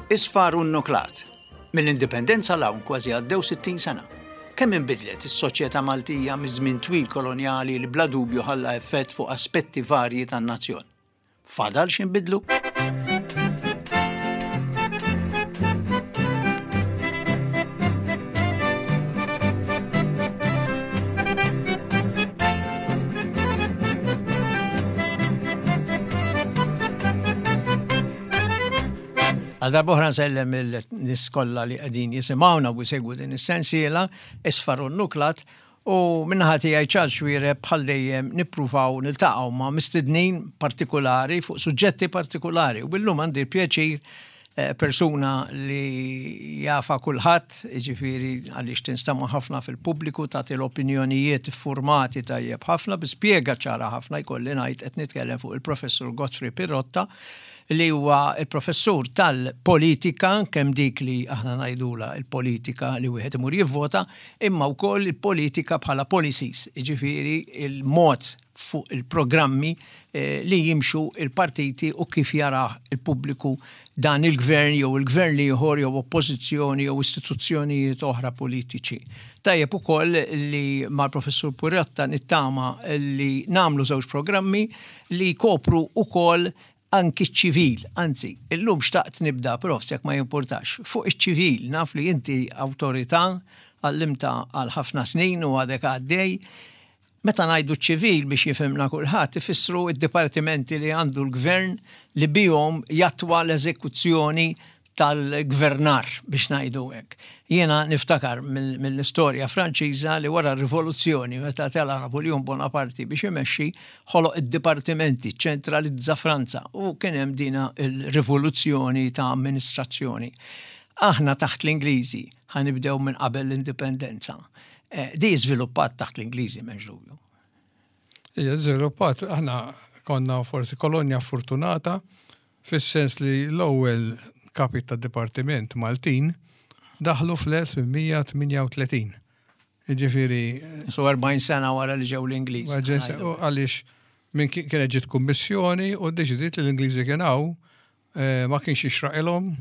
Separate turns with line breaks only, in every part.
Isfar u nnuklat. Mill-Indipendenza 'l hawn kważi għaddew 60 sena. Kemm inbidlet is-soċjetà Maltija miż-żmien twil kolonjali li bla dubju ħalla effett fuq aspetti varji tan-nazzjon. Fadal x'inbidlu? Għal darbohra nsellem il-nis kollha li qegħdin jisimgħuna u jsegwu din is-sensiela isfar u nuklat u minnaħa tiegħi Charles Xuereb bħal dejjem nippruvaw niltaqgħu ma' mistednin partikulari fuq suġġetti partikulari u illum għandi l-pjaċir eh, persuna li jafa kulħadd, jiġifieri għaliex tinstama' ħafna fil-pubbliku tagħti l-opinjonijiet iffurmati tajjeb ħafna bi spjega ċara ħafna jkolli ngħid qed nitkellem fuq il-Professur Godfrey Pirotta li huwa il-professur tal-politika, kemm dik li aħna ngħidula il-politika li wieħed imur jivvota, imma wkoll il-politika bħala policies, jiġifieri il-mod fuq il-programmi eh, li jimxu il-partiti u kif jarah il-pubbliku dan il-gvern jew il-gvern l-ieħor jew oppożizzjoni jew istituzzjonijiet oħra politiċi. Tajjeb ukoll li mal-Professur Pirotta nittama li nagħmlu żewġ programmi li jkopru ukoll anki ċ-ċivil, anzi, illum xtaqt nibda, Profs, jekk ma jimpurtax, fuq iċ-ċivil, naf li inti awtorità, għallimta għal ħafna snin u għadek għaddej. Meta ngħidu ċ-ċivil biex jifhimna kulħadd, ifissru d-dipartimenti li għandu l-gvern li bihom jattwa l-eżekuzzjoni tal-gvernar biex ngħidu hekk. Jiena niftakar mill-istorja Franċiża li wara r-rivoluzzjoni meta tela' Napoleon Bonaparte biex imexxi ħoloq id-dipartimenti, ċentralizza Franza u kien hemm dina il-rivoluzzjoni ta' amministrazzjoni. Aħna taħt l-Ingliżi ħa nibdew minn qabel l-indipendenza. Eh, di żviluppat taħt l-Ingliżi m'hemmx dubju.
Hija żviluppat, aħna konna forsi kolonja fortunata fis-sens li l-ewwel kapi ta' dipartiment Maltin daħlu fl-1838. Jiġifieri.
So 40 sena wara li ġew l-Ingliżi.
Għaliex minn kienet ġiet kummissjoni u ddeċidiet li l-Ingliżi kien hawn eh, ma kienx jixraqilhom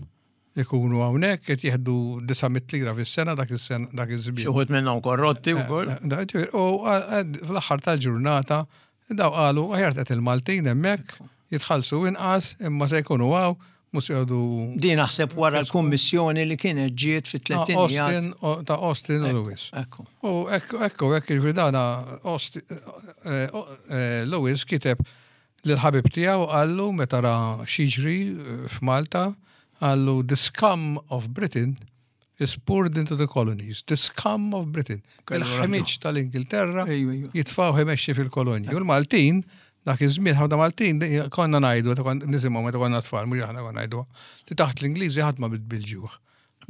ikunu hawnhekk qed jieħdu 900 lira fis-sena dak is-sena dak iż-żmien.
Xi wħud minnhom korrotti eh, wkoll.
Eh, u fl-aħħar tal-ġurnata daw qalu aħjar qed il-Maltin hemmhekk jitħallsu inqas imma se jkunu hawn mhux jgħodu.
Din naħseb wara l-kummissjoni li kienet ġiet fit-tlettinijat.
Ta' Austin u Lewis. U ekku ekku jiġifieri dana eh, Lewis kiteb Lill-ħabib tiegħu qallu meta ra x'jiġri f'Malta, qallu the scum of Britain is poured into the colonies. The scum of Britain. Il-ħmiġ tal-Ingilterra jitfgħuh imexxi fil-kolonji. U l-Maltin, dak iż-żmien ħafna Maltin konna ngħidu, nisimgħu meta konna tfal, mhux aħna konna ngħidu, li taħt l-Ingliżi ħadd ma bid bil-ġuħ.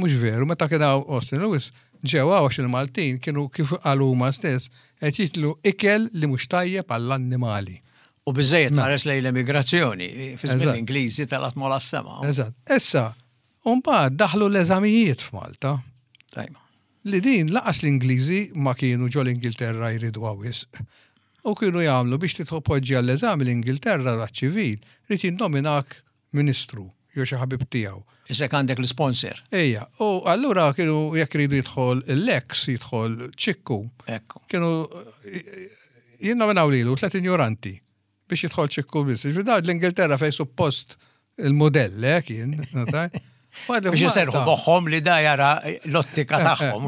Mhux veru, meta kien hawn Austin Lewis, ġew hawn għax il-Maltin kienu kif qalu huma stess qed jieklu ikel li mhux tajjeb għall-annimali.
U biżżejjed tħares lejn l-emigrazzjoni, fi żmien l-Ingliżi telgħet mola s-sema.
Eżatt. Issa, u mbagħad daħlu l-eżamijiet f'Malta.
Tajba.
Li din laqas l-Ingliżi ma kienu ġo l-Ingilterra jriduha wisq. U kienu jagħmlu biex titpoġġi għall-eżami l-Ingilterra għaċ-ċivil, ried jinnominak ministru jew xi ħabib tiegħu.
Isek għandek l-isponsor.
Ejja, u allura kienu jekk iridu jidħol l-ex jidħol ċikku.
Ekku.
Kienu jinnominaw lilu tlet injoranti biex jidħol ċikku biss. Ġifieri dawn l-Ingilterra fejn suppost il-modell eh, kien.
Biex jiserħu moħħhom li da jara l-ottika eh, eh, tagħhom.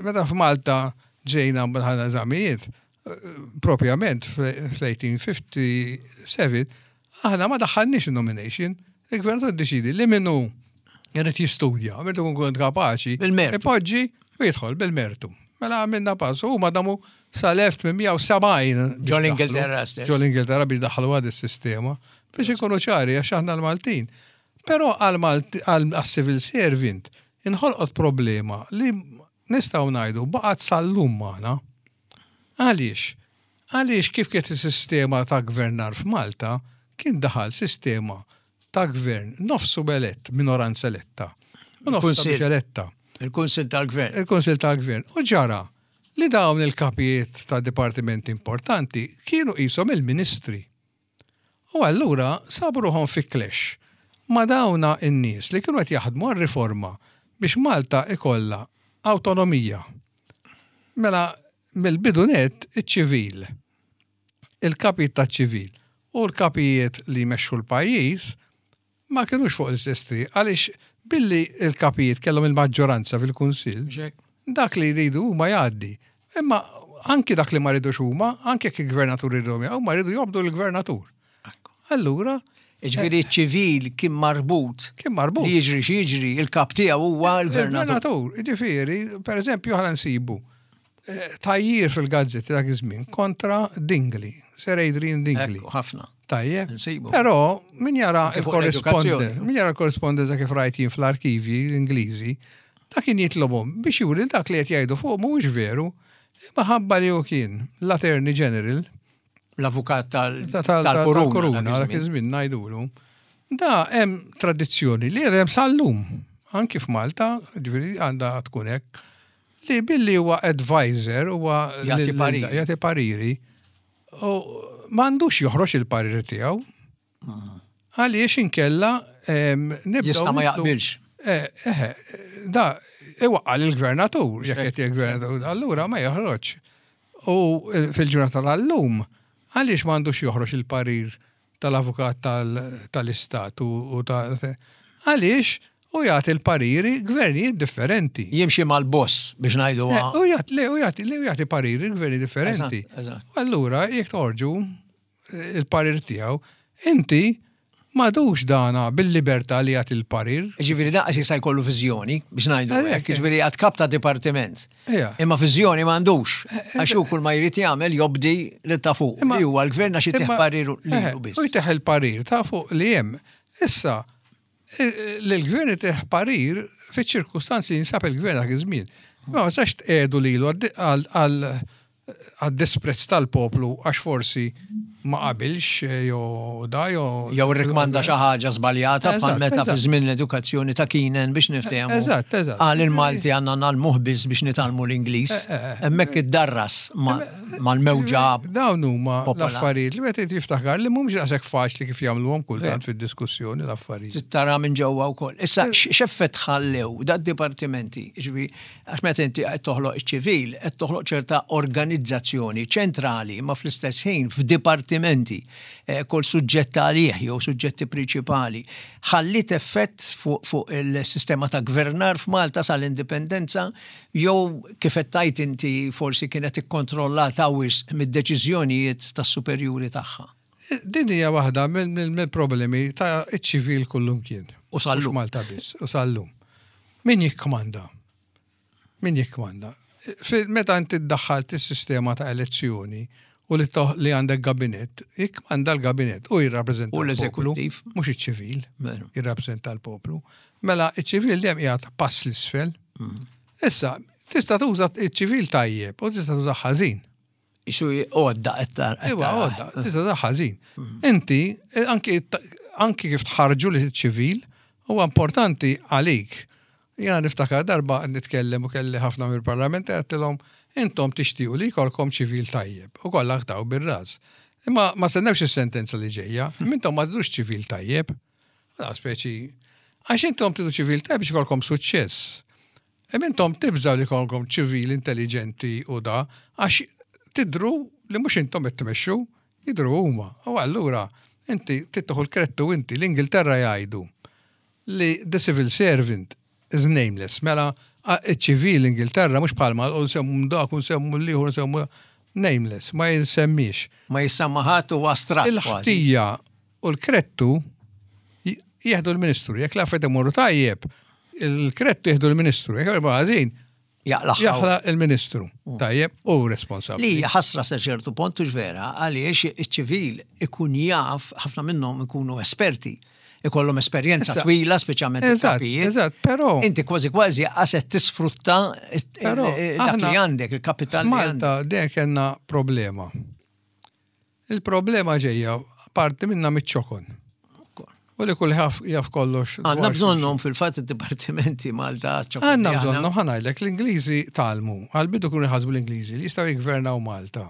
Meta f'Malta ġejna bħala eżamijiet, propjament fl-1857, aħna ma daħħalniex il-nomination, il-gvernatur iddeċidi li minnu jrid jistudja, irid ikun kont kapaċi, ipoġġi u jidħol bil-mertu. Mela għamilna pass, u ma damu sal-1870.
Ġol Ingilterra stess.
Ġol Ingilterra biex daħħlu għad is-sistema, biex ikunu ċari għax aħna l-Maltin. Però għal-civil servant inħolqot problema li nistgħu ngħidu baqgħet sal-lum magħna. Għaliex? Għaliex kif kienet is-sistema ta' gvernar f'Malta, kien daħal sistema ta' gvern nofsu elett, minoranza eletta, u nofsu mhux eletta.
Il-Kunsill tal-Gvern.
Il-Kunsill tal-Gvern. U ġara li dawn il-kapijiet ta' dipartimenti importanti kienu qishom il-ministri. U allura sabu ruħhom fi clash. ma' dawna n-nies li kienu qed jaħdmu għar-riforma biex Malta ikollha awtonomija. Mela mill-bidu nett iċ-ċivil, il-kapijiet taċ-ċivil u l-kapijiet li jmexxu l-pajjiż ma kinux fuq l-istess triq għaliex billi l-kapijiet kellhom il-maġġoranza fil-Kunsill, dak li jridu huma jgħaddi. Imma anki dak li ma ridux huma, anki jekk il-gvernatur iridhom jaqgħu, ma jridu jobdu l-gvernatur. Allura.
Ġifieri ċ-ċivil kien marbut.
Kien marbut.
Li jiġri x'jiġri, il-kap tiegħu huwa l-gvernatur.
Il-gvernatur, ġifieri, per eżempju, ħana nsibu eh, tajjir fil-gazzetti dak iż-żmien kontra Dingli, Sir Adrian Dingli.
Ħafna.
Tajjeb. Però min jara il-korrespondenza, min jara l-korrespondenza kif rajt jien fl-arkivji Ingliżi, dak kien jitlobhom biex juri dak li qed jgħidu fuq mhuwiex veru, imma ħabba li hu kien l-Attorney General.
L-avukat tal-Kuruna.
Dak iż-żmien ngħidulu. Da hemm tradizzjoni li hemm sal-lum, anki f'Malta, ġifieri għandha tkun hekk, li billi huwa advisor huwa
jagħti
pariri. U m'għandux joħroġ il-parir tiegħu. Għaliex inkella
nibdew. Jista' ma jaqbilx.
Eh, eh, da, iwaqqa l-gvernatur, jekk qed il-gvernatur, allura ma joħroġ. U eh, fil-ġurnata tal-lum, għaliex m'għandux joħroġ il-parir tal-avukat tal-istat u ta' għaliex u jagħti l-pariri gvernijiet differenti.
Jimxi mal-boss biex ngħidu.
Eh, u jagħti le u jagħti le u jagħti pariri gverni differenti. Allura jekk toħorġu eh, il-parir tiegħu, inti madux dana bil-libertà li jagħti l-parir.
Ġifieri daqs jista' jkollu viżjoni biex ngħidu hekk, ġifieri għad kap ta' dipartiment. Imma viżjoni m'għandux. Eh, eh, għax hu kull ma jrid jagħmel jobdi li ta' fuq. Li huwa l-gvern għax itih parir lilu biss.
U jtih il-parir ta' fuq li hemm. Issa, l-gvern itih parir fiċ-ċirkustanzi jinsab il-gvern dak iż-żmien. Ma ma sax tqiegħdu lilu għal għad-disprezz tal-poplu għax forsi ma qabilx eh, jew da jew.
Jew irrikmanda xi ħaġa żbaljata bħal meta fi żmien l-edukazzjoni ta' Kinen biex niftehmu.
Eżatt, eżatt.
Qal il-Malti għandna nagħlmuh biss biex nitgħallmu l-Ingliż. Eh, eh, Hemmhekk iddarras mal-mewġa.
Dawn huma l-affarijiet li wieħed jiftakar li mhumiex daqshekk faċli kif jagħmluhom kultant fid-diskussjoni l-affarijiet.
Tara minn ġewwa wkoll. Issa x'effett ħallew dad-dipartimenti, jiġifieri Għax meta inti qed toħloq iċ-ċivil, qed toħloq ċerta organizzazzjoni ċentrali imma fl-istess ħin f'dipartimenti, eh, kull suġġett għalih jew suġġetti prinċipali. Ħalliet effett fuq fu il-sistema ta' gvernar f'Malta sal-indipendenza jew kif qed tgħid inti forsi kienet ikkontrollata wisq mid-deċiżjonijiet tas-superjuri tagħha.
Din hija waħda mill-problemi ta' iċ-ċivil kullumkien.
U sal-lum.
Malta biss, u sal-lum. Min jikkmanda? Min jikkmanda? Meta inti ddaħħalt is-sistema ta' elezzjoni u li li għandek gabinett, jikkmanda l-gabinett u jirrappreżenta.
U l-eżekuttiv.
Mhux iċ-ċivil, jirrappreżenta l-poplu. Mela iċ-ċivil dejjem qiegħed pass l-isfel. Mm. Issa, tista' tuża iċ-ċivil tajjeb u tista' tuża ħażin.
Isu għodda qed tara.
Iwa għodda, tista' ta' ħażin. Mm. Inti, eh, anki anki kif tħarġu li ċivil, huwa importanti għalik. Jena niftakar darba nitkellem u kelli ħafna mill-parlament għedtilhom intom tixtiequ li jkollkom ċivil tajjeb u kollha ħtaw bir-ras. Imma ma stennewx is-sentenza li ġejja, intom ma tridux ċivil tajjeb. Da speċi għax intom tridu ċivil tajjeb biex ikollkom suċċess. Imma intom tibżgħu li jkollkom ċivil intelliġenti u da, għax tidhru li mhux intom qed tmexxu, jidhru huma. U allura inti trid tieħu l-krettu inti. L-Ingilterra jgħidu li the civil servant is nameless. Mela iċ-ċivil l-Ingilterra mhux bħalma u nsemmu dak u nsemmu l-ieħor nsemmu nameless, ma jinsemmiex.
Ma jissemma ħadd u astratt.
Il-ħtija U l-krettu jieħdu l-ministru. Jekk l-affarijiet imorru tajjeb, il-krettu jieħdu l-ministru. Jekk imorru ħażin,
jaqlaħ
il-ministru. Mm. Tajjeb, u responsabbli.
Li ħasra sa ċertu punt vera, għaliex iċ-ċivil ikun jaf, ħafna minnhom ikunu esperti ikollhom esperjenza twila, speċjalment
il-kapijiet. Eżatt, però.
Inti kważi kważi qaset tisfrutta dak li għandek, il-kapital.
Malta dejjem kellna problema. Il-problema ġejja parti minna miċ-ċokon. U li kull jaf kollox.
Għanna bżonnhom fil-fatt id-dipartimenti Malta
ċokon. Għanna bżonnhom ħanajlek l-Ingliżi talmu, għal-bidu kunu jħasbu l-Ingliżi li jistgħu jgvernaw Malta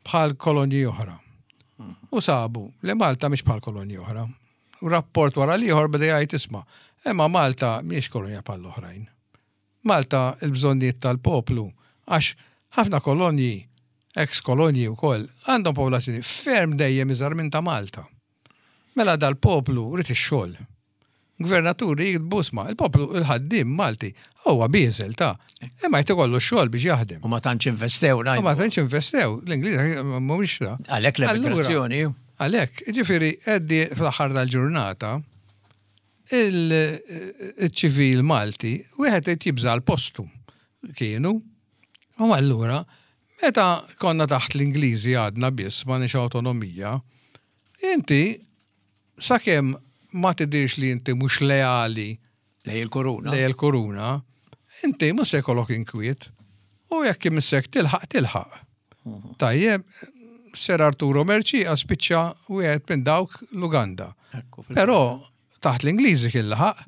bħal kolonji oħra. U sabu li Malta mhix bħal kolonji oħra. rapport wara l-ieħor beda jgħid isma' imma Malta mhijiex kolonja bħall-oħrajn. Malta il-bżonnijiet tal-poplu għax ħafna kolonji, ex kolonji wkoll, għandhom popolazzjoni ferm dejjem iżgħar minn ta' Malta. Mela dal-poplu ried ix-xogħol. Gvernaturi jiktbu isma' il-poplu il-ħaddiem Malti huwa bieżel ta' imma jrid ikollu x-xogħol biex jaħdem.
U ma tantx investew
ngħidu. U ma tantx investew, l-Ingliżi mhumiex ta.
Għalhekk l-emigrazzjoni.
Għalhekk, jiġifieri Eddie fl-aħħar tal-ġurnata il-ċivil Malti wieħed irid jibża' għal postu kienu. U allura meta konna taħt l-Ingliżi għadna biss m'għandniex awtonomija, inti sakemm ma tidhirx li inti mhux leali
lej il-kuruna.
Lej il-kuruna, inti mhux se jkollok inkwiet. U jekk imissek tilħaq tilħaq. Mhm. Tajjeb, Ser Arturo Merċi spiċċa wieħed minn dawk l-Uganda. Però taħt l-Ingliżi kien laħaq.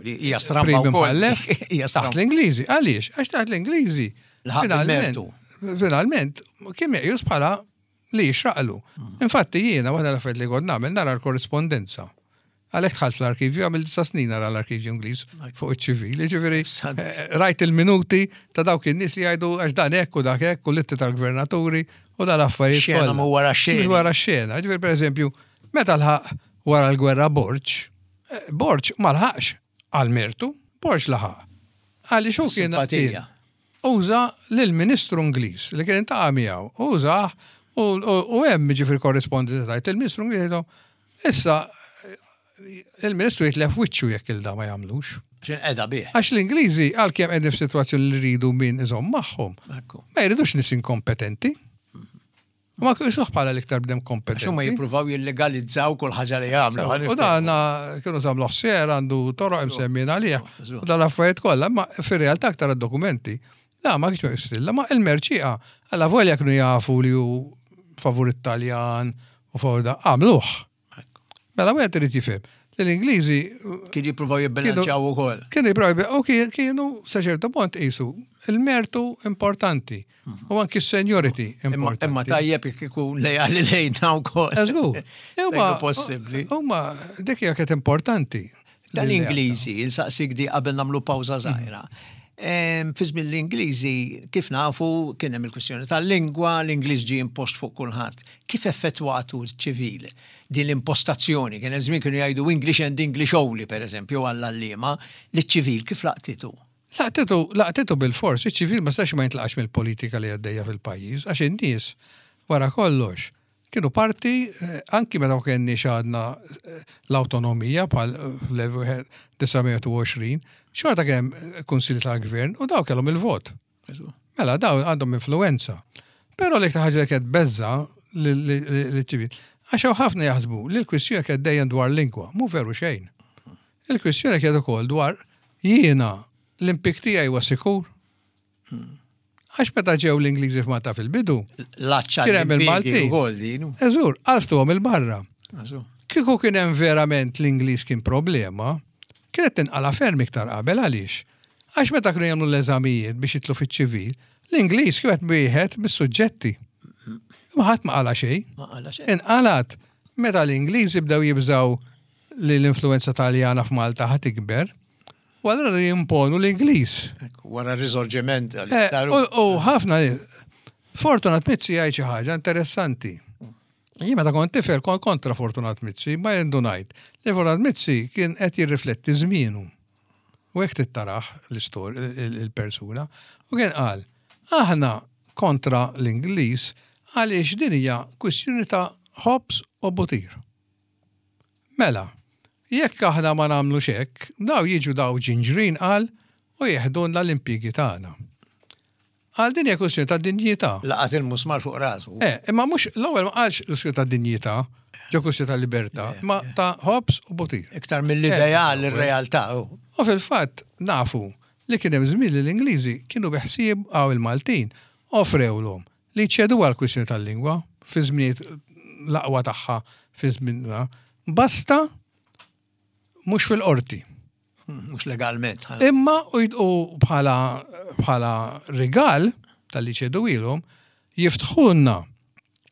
Hija stramba wkoll.
Taħt l-Ingliżi. Għaliex? Għax taħt l-Ingliżi.
Finalment,
finalment kien meqjus bħala li jixraqlu. Infatti jiena waħda l-affarijiet li kont nagħmel nara l-korrispondenza. Għalhekk dħalt l-arkivju, għamil disa snin nara l-arkivju Ingliż fuq iċ-ċivil. Jiġifieri eh, rajt il-minuti ta' dawk in-nies li jgħidu għax dan hekk u dak hekk u l-itti tal-gvernaturi u dal-affarijiet.
Xena mu wara xena.
Wara xena. Ġifieri pereżempju, meta lħaq wara l-gwerra Borġ, eh, Borġ ma lħaqx għal mertu, Borġ laħaq. Għaliex hu kien uża lill-Ministru Ingliż li kien iltaqa' miegħu, użah u hemm jiġifieri korrispondenza tgħid il-Ministru Ingliż jgħidilhom issa il-Ministru jitlef wiċċu jekk il da ma jagħmlux.
X'inqeda bih.
Għax l-Ingliżi għalkemm qegħdin f'sitwazzjoni li jridu min iżomm magħhom, ma jridux nies inkompetenti. Ma kienx bħala l-iktar bdem kompetenti.
Għax huma jippruvaw jillegalizzaw kull ħaġa li jagħmlu.
U dan kienu żamlu ħsier għandu toroq imsemmin għalih. U dan l-affarijiet kollha, ma fir-realtà aktar dokumenti. La ma kienx stilla, ma il-merċieqa alla volja kienu jafu li hu favur it-Taljan u favur da għamluh. Mela wieħed irid jifhem li l-Ingliżi
Kienu jippruvaw jibbilanċjaw ukoll.
Kienu jippruvaw u kienu sa ċertu punt qisu il-mertu importanti mhm. u anki s-seniority importanti.
Imma tajjeb jekk ikun lejali lejna wkoll.
Eżgur.
Imma possibbli.
Huma dik hija kienet importanti.
Tal-Ingliżi, insaqsik di qabel nagħmlu pawża żgħira. Fi żmien l-Ingliżi, kif nafu, kien hemm il-kwistjoni tal-lingwa, l-Ingliż ġie impost fuq kulħadd. Kif effettwatu ċ-ċivil din l-impostazzjoni? Kien hemm żmien kienu jgħidu English and English only, pereżempju, għall-għalliema, liċ-ċivil kif laqtitu?
Laqtitu, laqtitu bilfors, iċ-ċivil ma setax ma jintlaqax mill-politika li għaddejja fil-pajjiż, għax in-nies, wara kollox, Kienu parti, anki meta ma kenniex għadna l-awtonomija bħal fl-1920, xorta kien hemm kunsilli tal-gvern u daw kellhom il-vot. Mela daw għandhom influenza. Però l-iktar ħaġa li kienet beża liċ-ċivil, għax hawn ħafna jaħsbu li l-kwistjoni kienet dejjem dwar lingwa, mhu veru xejn. Il-kwistjoni kienet ukoll dwar jiena l-impjieg tiegħi huwa sikur. Għax meta ġew l-Ingliżi f'Malta fil-bidu,
kien hemm
il-Maltin. Eżur, għalftuhom il-barra. Kieku kien hemm verament l-Ingliż kien problema, kienet tinqala ferm iktar qabel għaliex. Għax meta kienu jagħmlu l-eżamijiet biex jitlu fiċ-ċivil, l-Ingliż kienet wieħed mis-suġġetti. Ma ħadd ma qala xejn. Inqalat meta l-Ingliżi bdew jibżgħu li l-influenza Taljana f'Malta ħa tikber, U allura li jimponu l-Ingliż.
Wara r-risorġiment.
Eh, u ħafna Fortunat Mizzi jgħid xi ħaġa interessanti. Jien meta kont tifel kont kontra Fortunat Mizzi, ma jendunajt li Fortunat Mizzi kien qed jirrifletti żmienu. U hekk tittaraħ l-istorja il-persuna. U kien qal, aħna kontra l-Ingliż għaliex din hija kwistjoni ta' ħobż u butir. Mela, jekk aħna ma nagħmlux hekk, daw jiġu daw ġinġrin qal u jeħdulna l-impjiegi tagħna. Qal din hija kwistjoni ta' dinjità.
Laqat il-musmar fuq rasu.
Eh, imma mhux l-ewwel ma qalx kwistjoni ta' dinjità, ġo kwistjoni ta' libertà, ma ta' ħobż u butir.
Iktar mill-ideal ir-realtà.
U fil-fatt nafu li kien hemm żmien li l-Ingliżi kienu beħsieb għaw il-Maltin offrewlhom li jċeduha l-kwistjoni tal-lingwa fi żminijiet l-aqwa tagħha fi żmienna, basta mhux fil-qorti.
Mhux legalment.
Imma u bħala bħala rigal tal-li ċeduilhom jiftħulna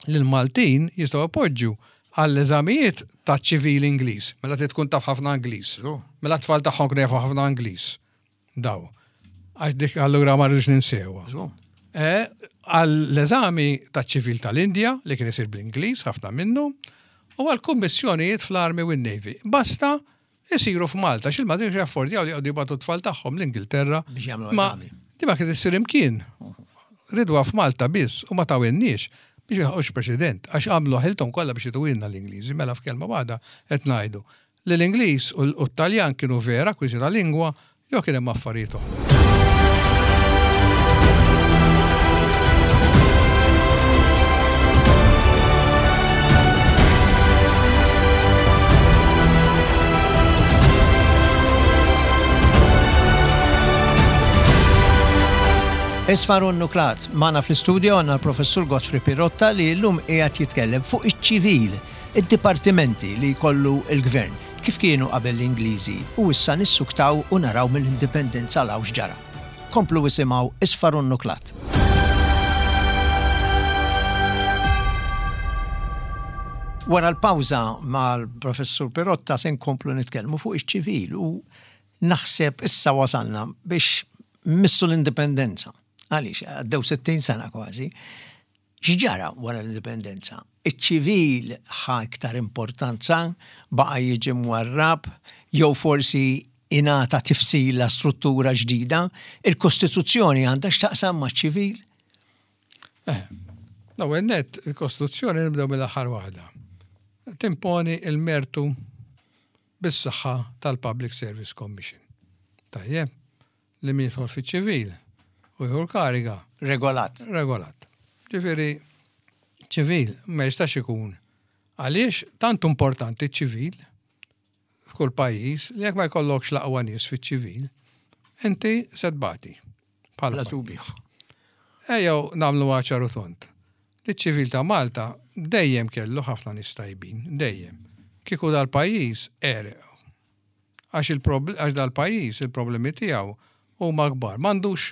li l-Maltin jistgħu jpoġġu Għall-eżamijiet taċ-ċivil Ingliż, mela trid tkun taf ħafna Ingliż. Mela t-tfal tagħhom kienu jafu ħafna Ingliż. Daw. Għax dik allura ma rridux ninsewha. Eh, għall-eżami taċ-ċivil tal-Indja li kien isir bl-Ingliż ħafna minnu, u għall-kummissjonijiet fl-Army u n-Navy. Basta isiru f'Malta, għax il-Maltin kienu jaffordjaw li jqogħdu jibgħatu t-tfal tagħhom l-Ingilterra.
Biex jagħmlu eżami.
Di ma kienet issir imkien. Ridwa f'Malta biss u ma tawinniex biex ma preċedent, għax għamlu ħilthom kollha biex ituwilna l-Ingliżi, mela f'kelma waħda qed ngħidu li l-Ingliż u t-Taljan kienu vera kwiżi ta' lingwa jew kien hemm affarijiet oħra.
Isfar u Nuklat, magħna fl-istudio għandna l-Professur Godfrey Pirotta li llum qiegħed jitkellem fuq iċ-ċivil, id-dipartimenti li jkollu l-gvern, kif kienu qabel l-Ingliżi u issa nissuktaw u naraw mill-Indipendenza 'l hawn x'ġara. Komplu isimgħu Isfar u Nuklat. Wara l-pawża mal-Professur Pirotta se nkomplu nitkellmu fuq iċ-ċivil u naħseb issa wasalna biex mmissu l-indipendenza. Għaliex għaddew 60 sena kważi. X'ġara wara l-indipendenza? Iċ-ċivil ħa iktar importanza, baqa' jiġi mwarrab, jew forsi ingħata tifsila, struttura ġdida? Il-Kostituzzjoni għandha x'taqsam maċ-ċivil?
Eh, l-ewwel nett il-Kostituzzjoni nibdew mill-aħħar waħda. Timponi il-mertu bis-saħħa tal-Public Service Commission. Tajjeb, li min jidħol fiċ-ċivil u jieħu l-kariga.
Regolat.
Regolat. Ġifieri ċivil ma jistax ikun. Għaliex tant importanti ċ-ċivil f'kull pajjiż li jekk ma jkollokx l-aqwa nies fiċ-ċivil, inti se tbati.
Bħala dubju.
Ejjew nagħmlu ċar u tond. Li ċ-ċivil ta' Malta dejjem kellu ħafna nies tajbin, dejjem. Kieku dal-pajjiż għereq. Għax għax dal-pajjiż il-problemi tiegħu huma kbar. M'għandux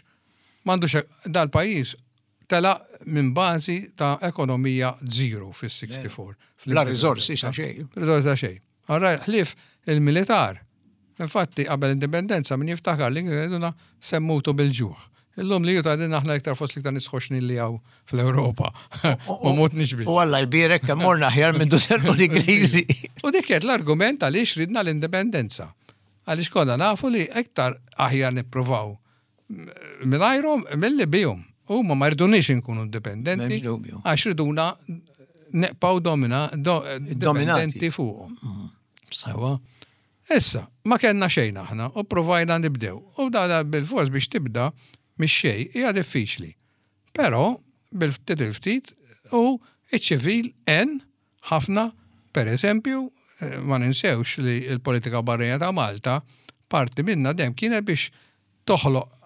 m'għandux dal-pajjiż telaq minn bażi ta' ekonomija zero fis-64.
La riżorsi ta' xejn.
Riżorsi ta' xejn. Allura ħlief il-militar. Infatti qabel l-indipendenza min jiftakar li kienu jgħidulna se mmutu bil-ġuħ. Illum li tgħidilna aħna iktar fost l-iktar nies ħoxnin li hawn fl-Ewropa. Ma mutniex bil.
U Alla jbierek kemm morna aħjar minn serqu l-Ingliżi.
U dik kienet l-argument għaliex ridna l-indipendenza. Għaliex konna nafu li iktar aħjar nippruvaw mingħajrhom milli bihom. Huma ma jridunix inkunu indipendenti. Għax riduna neqpaw domina, do, dipendenti fuqhom. Mm. Sewa. Issa, ma kellna xejn aħna u provajna nibdew. U da bil-fors biex tibda mix-xejn hija diffiċli. Però bil-ftit il-ftit u iċ-ċivil en ħafna, per eżempju, eh, ma ninsewx li l-politika barrija ta' Malta parti minna dem kienet biex toħloq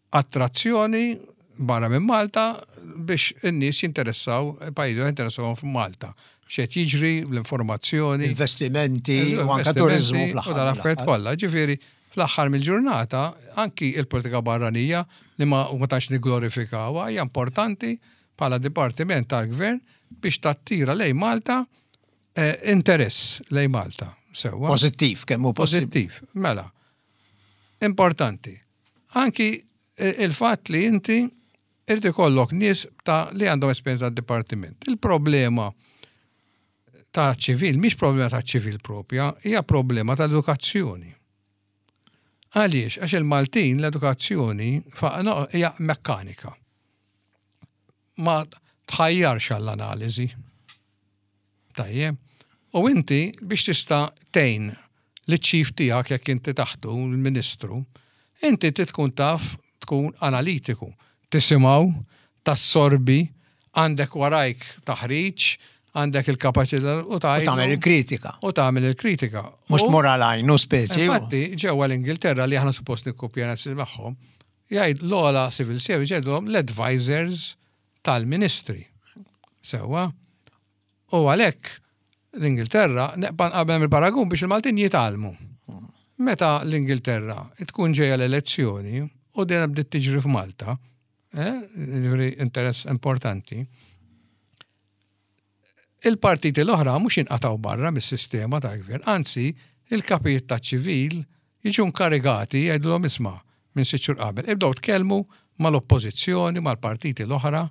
attrazzjoni barra minn Malta biex in-nies jinteressaw, pajjiżi jinteressaw f'Malta. X'qed jiġri, l-informazzjoni.
Investimenti, u anke turizmu
fl-aħħar. U dal-affarijiet kollha. Ġifieri, fl-aħħar mill-ġurnata, anki il-politika barranija li ma ma tantx nigglorifikawha hija importanti bħala dipartiment tal-gvern biex tattira lejn Malta eh, interess lejn Malta.
Sewwa. Pożittiv, kemm hu
Pożittiv, mela. Importanti. Anki il-fatt li inti irid ikollok nies ta' li għandhom esperjenza tad-dipartiment. Il-problema ta' ċivil mhix problema ta' ċivil propja, hija problema tal-edukazzjoni. Għaliex? Għax il-Maltin l-edukazzjoni hija mekkanika. Ma tħajjarx għall-analiżi. Tajjeb. U inti biex tista' tgħin liċ-chief tiegħek jekk inti taħtu, l-ministru, inti trid tkun taf tkun analitiku. Tisimgħu, tassorbi, għandek warajk taħriġ, għandek il-kapaċità
u tgħid. U tagħmel il-kritika.
U tagħmel il-kritika.
Mhux tmur għal għajnu speċi.
Infatti, ġewwa l-Ingilterra li aħna suppost nikkupjana magħhom, jgħid l-ogħla civil service jgħidulhom l-advisors tal-ministri. Sewwa. U għalhekk l-Ingilterra neqpa' nqabel il-paragun biex il-Maltin jitgħallmu. Meta l-Ingilterra tkun ġejja l-elezzjoni u dejjem bdiet tiġri f'Malta, eh, ġifieri interess importanti. Il-partiti l-oħra mhux jinqatgħu barra mis-sistema tal-gvern, anzi, il-kapijiet taċ-ċivil jiġu nkarigati jgħidulhom isma' minn sitt xhur qabel, ibdew tkellmu mal-oppożizzjoni, mal-partiti l-oħra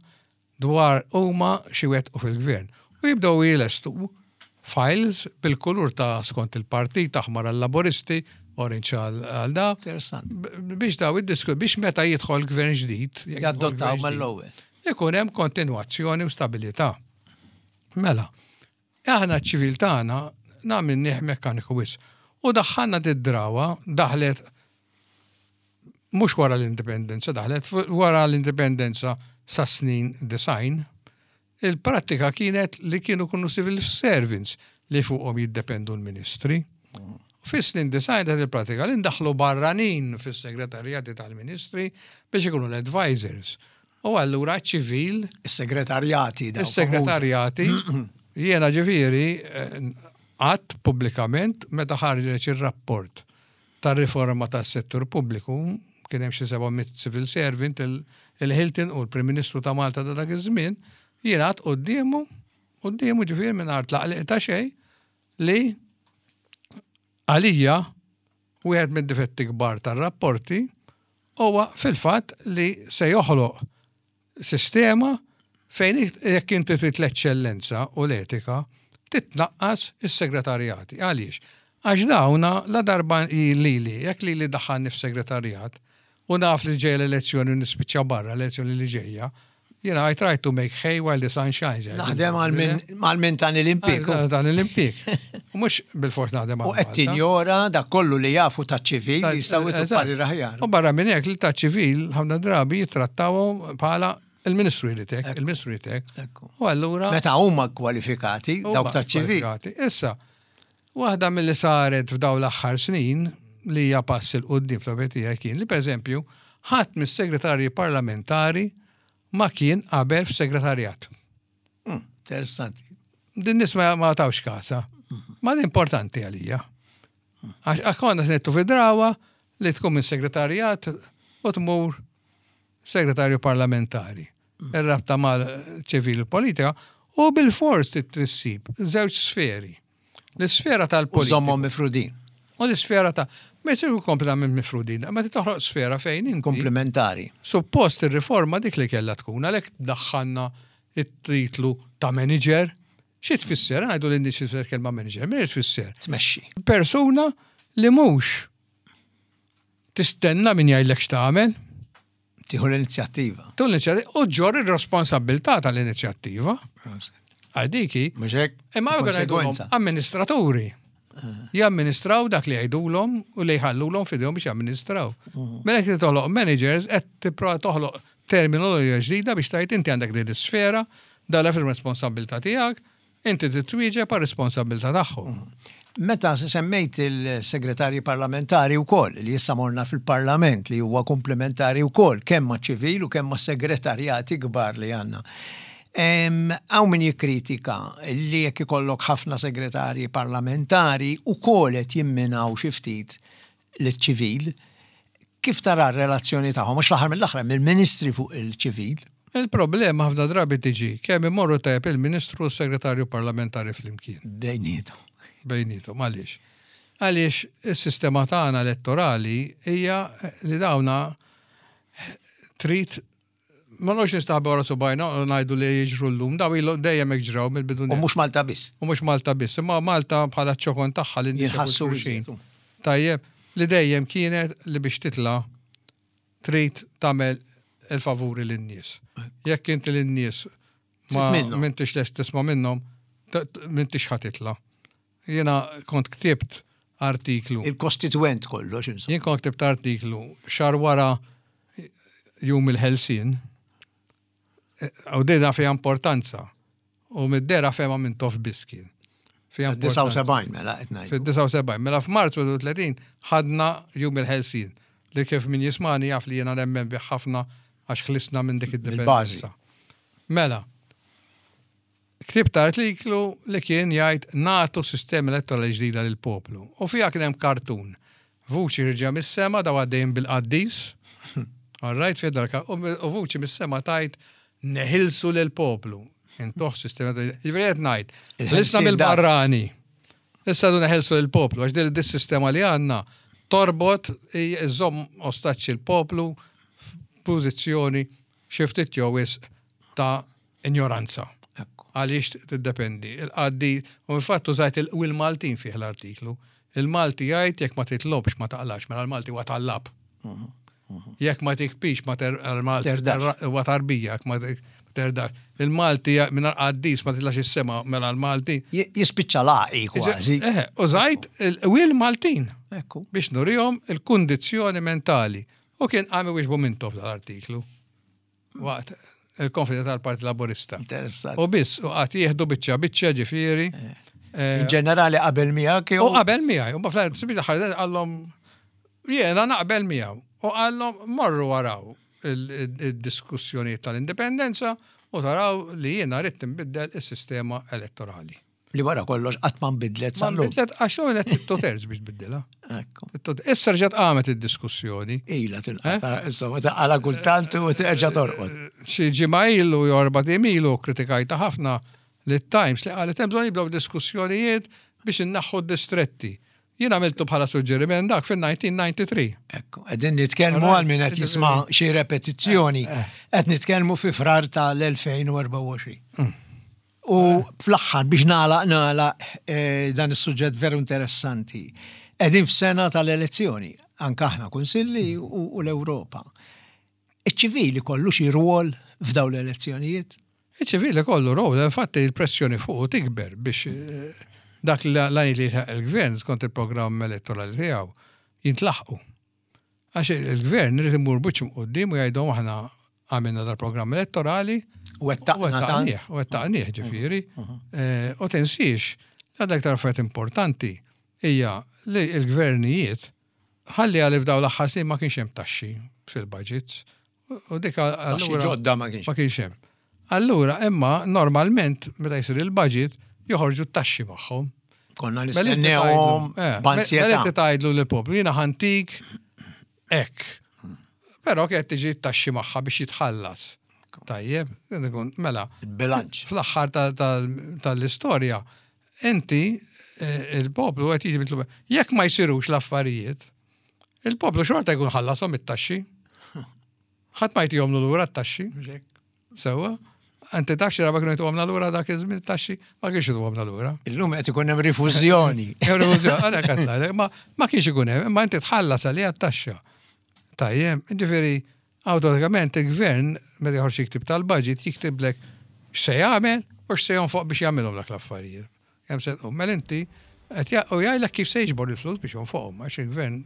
dwar huma x'iwettqu fil-gvern. U jibdew jlestu files bil-kulur ta' skont il-partit, aħmar għal-Laburisti, orange għal da. Biex daw id-disku, biex meta jidħol gvern ġdid.
Jaddottaw mal-ewwel.
Ikun hemm kontinwazzjoni u stabilità. Mela, aħna ċ-ċivil tagħna nagħmilnieh mekkaniku wisq. U daħħalna did-drawa, daħlet mhux wara l-indipendenza, daħlet wara l-indipendenza sa snin 90, il-prattika kienet li kienu kunu civil servants li fuqhom jiddependu l-ministri. Fis-snin 90 dat il-pratika li ndaħlu barranin fis-segretarjati tal-ministri biex ikunu l-advisors. U allura ċivil.
Is-segretarjati.
Is-segretarjati. Jiena ġifieri għadt pubblikament meta ħarġ ir-rapport tar-riforma tas-settur pubbliku, kien hemm xi 700 civil servant, il-Hilton u l-Prim Ministru ta' Malta ta' dak iż-żmien, jiena għadt quddiemu, quddiemu ġifieri mingħajr tlaqliq ta' xejn, li għalija wieħed mid-difetti kbar tar-rapporti huwa fil-fatt li se joħloq sistema fejn jekk inti trid l-eċċellenza u l-etika, titnaqqas is-segretarjati. Għaliex? Għax dawna la darba lili, jekk lili daħħalni f'segretarjat u naf li ġejja l-elezzjoni u nispiċċa barra l-elezzjoni li ġejja, jiena I try to make hay while the sun shines.
Naħdem għal min tani l-impjieg.
Tani l-impjieg. U mhux bilfors naħdem
għal. U qed tinjora dak kollu li jafu taċ-ċivil li jistgħu jtu parir aħjar.
U barra minn hekk li taċ-ċivil ħafna drabi jittrattawhom bħala il-ministru jrid hekk, il-ministru jrid hekk. U allura.
Meta huma kwalifikati dawk taċ-ċivil.
Issa, waħda milli saret f'dawn l-aħħar snin li hija pass 'il quddiem fl-opinjoni tiegħi kien li pereżempju ħadd mis-segretarji parlamentari ma kien qabel f'segretarjat.
Interessanti.
Din nies ma tawx kasha. Ma din importanti għalija. Għax konna se nittu fi drawa li tkun minn segretarjat u tmur segretarju parlamentari. Ir-rabta mal-ċivil u politika u bil-fors trid issib żewġ sferi. L-isfera tal-politika.
Żommhom mifrudin.
U l-isfera ta' ma jsiru kompletament mifrudin, ma toħloq sfera fejn inti.
Komplementari.
Suppost ir-riforma dik li kellha tkun, għalhekk daħħalna it-titlu ta' manager. Xi tfisser? Ngħidu lin nies tfisser kelma manager, min tfisser?
Tmexxi.
Persuna li mhux tistenna min jgħidlek x'tagħmel.
Tieħu l-inizjattiva.
Tieħu l-inizjattiva u ġġorr ir-responsabilità tal-inizjattiva. Għadiki.
Mhux hekk?
Imma
Konsegwenza.
amministraturi. Jamministraw dak li jgħidulhom u li jħallulhom f'idejhom biex jamministraw. Mela jekk toħloq managers qed tipprova toħloq terminoloġija ġdida biex tgħid inti għandek din is-sfera, dala fir-responsabilità tiegħek, inti titwieġeb għar-responsabilità tagħhom.
Meta semmejt il-segretarji parlamentari wkoll, li issa morna fil-parlament li huwa komplementari wkoll kemm ma' ċivil u kemm ma' segretarjati kbar li għandna. Hawn min jikkritika li jekk ikollok ħafna segretarji parlamentari ukoll qed jimminaw xi ftit liċ-ċivil. Kif tara r-relazzjoni tagħhom? Għax fl-aħħar mill-aħħar hemm il-ministri fuq il-ċivil.
Il-problema ħafna drabi tiġi kemm imorru tajjeb il-Ministru u s-Segretarju Parlamentari flimkien.
Bejnietom.
Bejnietom, għaliex? Għaliex is-sistema tagħna elettorali hija li dawna trid ma noqgħodx nistaħba wara subajna u ngħidu li jiġru llum, daw ilhom dejjem hekk ġraw mill-bidu.
U mhux Malta biss.
U mhux Malta biss, imma Malta bħala ċokon tagħha li
Jinħassu
xulxin. Tajjeb, li dejjem kienet li biex titla' trid tagħmel il-favuri lin-nies. Jekk inti lin-nies ma
Trid minnhom.
m'intix lest tisma' minnhom, m'intix ħa titla'. Jiena kont ktibt artiklu.
Il-kostituent kollox, insomma.
Jien kont ktibt artiklu xahar wara jum il-Ħelsien. U dina fiha importanza. U mid-dera fehma minn tof biss kien. Fiha importanza.
79 mela qed ngħidu.
Fid-79, mela f'Marzu 30 ħadna jum il-Ħelsien li kif min jismani jaf li jiena nemmen bih ħafna għax ħlisna minn dik id-dipendenza. Mela, ktibt artiklu li kien jgħid nagħtu sistema elettorali ġdida lill-poplu. U fiha kien hemm kartun. Vuċi ħirġa mis-sema daw għaddejjin bil-qaddis. All right, fih dal u vuċi mis-sema tajt neħilsu lill-poplu. Intuh sistema ta' Ġifieri qed ngħid. Ħlisna mill-barrani. Issa du neħelsu lill-poplu għax din dis-sistema li għandna torbot iżomm ostaċċi l-poplu f'pożizzjoni xi ftit jew wisq ta' injoranza. Għaliex tiddependi. Il-qaddi, u infatti użajt il-Maltin fih l-artiklu. Il-Malti jgħid jekk ma titlobx ma taqlax, mela l-Malti huwa tallab. Jekk ma tikpix ma terdax. Huwa tarbija jekk ma terdax. Il-Malti mingħajr qaddis ma titlax is-sema mela l-Malti.
Jispiċċa laqi kważi.
Eh, użajt il-Maltin. Biex nurihom il-kundizzjoni mentali. U kien qam iwieġbu Mintoff dal-artiklu. Waqt il-konferenza tal-Partit Laburista.
Interessant.
U biss, u għat jieħdu biċċa biċċa ġifieri.
Eh. Eh, In ġenerali qabel miegħek
U qabel miegħi, u bafla sibita ħarġet qallhom jiena naqbel miegħu. U qallhom morru waraw il-diskussjonijiet tal-indipendenza u taraw li jiena rrid tinbiddel is-sistema elettorali.
Li wara kollox qatt ma nbidlet
sa Ma nbidlet għax u għenet two terz biex tbiddilha. Issa rġgħet qamet id-diskussjoni.
Ila tilqata, eh? issa ma taqala kultant u terġa' torqod.
Xi ġimgħa ilu jew erba' ilu kritikajta ħafna li Times li qalet hemm bżonn jibdew diskussjonijiet biex innaħħu d-distretti. Jien għamiltu bħala suġġeriment dak fil-1993.
Ekku, qegħdin nitkellmu għal min qed jisma' xi repetizzjoni, eh, eh. qed nitkellmu fi frar tal-2024. U fl-aħħar biex nagħlaq nagħlaq eh, dan is-suġġett veru interessanti. Qegħdin f'sena tal-elezzjoni, anke aħna kunsilli u l-Ewropa. Iċ-ċivili kollu xi rwol f'dawn l-elezzjonijiet?
Iċ-ċivili kollu rwol, infatti il-pressjoni fuq tikber biex eh, dak l-għani li il-gvern skont il-programm elettorali tiegħu jintlaħqu. Għax il-gvern irid imur buċ quddiem u jgħidhom aħna għamilna dal-programm elettorali.
Wettaqnieh.
Wettaqnieh ġifieri. Mhm. Eh, u tinsiex, għadha aktar affarijiet importanti hija li l-gvernijiet ħalli għalli f'daw l-aħħar snin ma kienx hemm taxxi fil-budgets. U dik
allura ġodda ma kienx.
Ma kienx hemm. Allura imma normalment meta jsir il-budget joħorġu t-taxxi magħhom.
Konna mela nistennewhom eh,
b'ansjetà. Mela tgħidlu lill-poplu jiena ħantik hekk. Però kienet tiġi t-taxxi magħha biex jitħallas. Tajjeb, mela.
Bilanċ.
Fl-aħħar tal-istorja, inti eh, il-poplu qed jiġi mitlub. Jekk ma jsirux l-affarijiet, il-poplu xorta jkun ħallasom it-taxxi. Ħadd ma jtihomlu lura t-taxxi. Sewwa. Inti taf xi darba kienu jtuhomna lura dak iż-żmien it-taxxi? Ma kienx jtuhomna lura.
Illum qed ikun hemm rifużjoni.
Hemm rifużjoni, għalhekk qed ngħidlek, ma ma kienx ikun hemm, imma inti tħallas għaliha t-taxxa. Tajjeb, jiġifieri awtomatikament il-gvern meta joħroġ jiktib tal-budget jiktiblek x'se jagħmel u x'se jonfoq biex jagħmilhom dak l-affarijiet. Kemm se tqum? Mela inti qed u jgħidlek kif se jiġbor il-flus biex jonfoqhom, għax il-gvern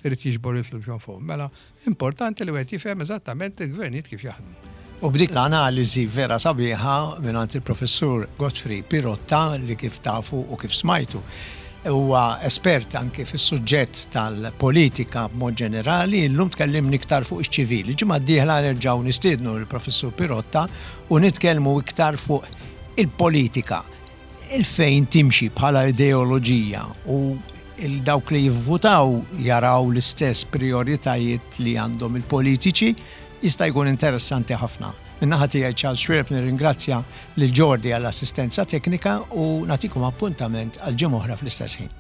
irid jiġbor il-flus biex jonfoqhom. Mela importanti li wieħed jifhem eżattament il-gvernijiet kif jaħdmu.
U b'dik l-analiżi vera sabiħa mingħand il-Professur Godfrey Pirotta li kif tafu u kif smajtu huwa espert anke fis-suġġett tal-politika b'mod ġenerali, illum tkellimni iktar fuq iċ-ċivili. Ġimgħa d-dieħla nerġgħu nistiednu l-Professur Pirotta u nitkellmu iktar fuq il-politika il-fejn timxi bħala ideoloġija u dawk li jivvutaw jaraw l-istess prioritajiet li għandhom il-politiċi jista' jkun interessanti ħafna. Min-naħa tiegħi Charles Xuereb nirringrazzja lil Jordi għall-assistenza teknika u nagħtikom appuntament għal ġimgħa oħra fl-istess ħin.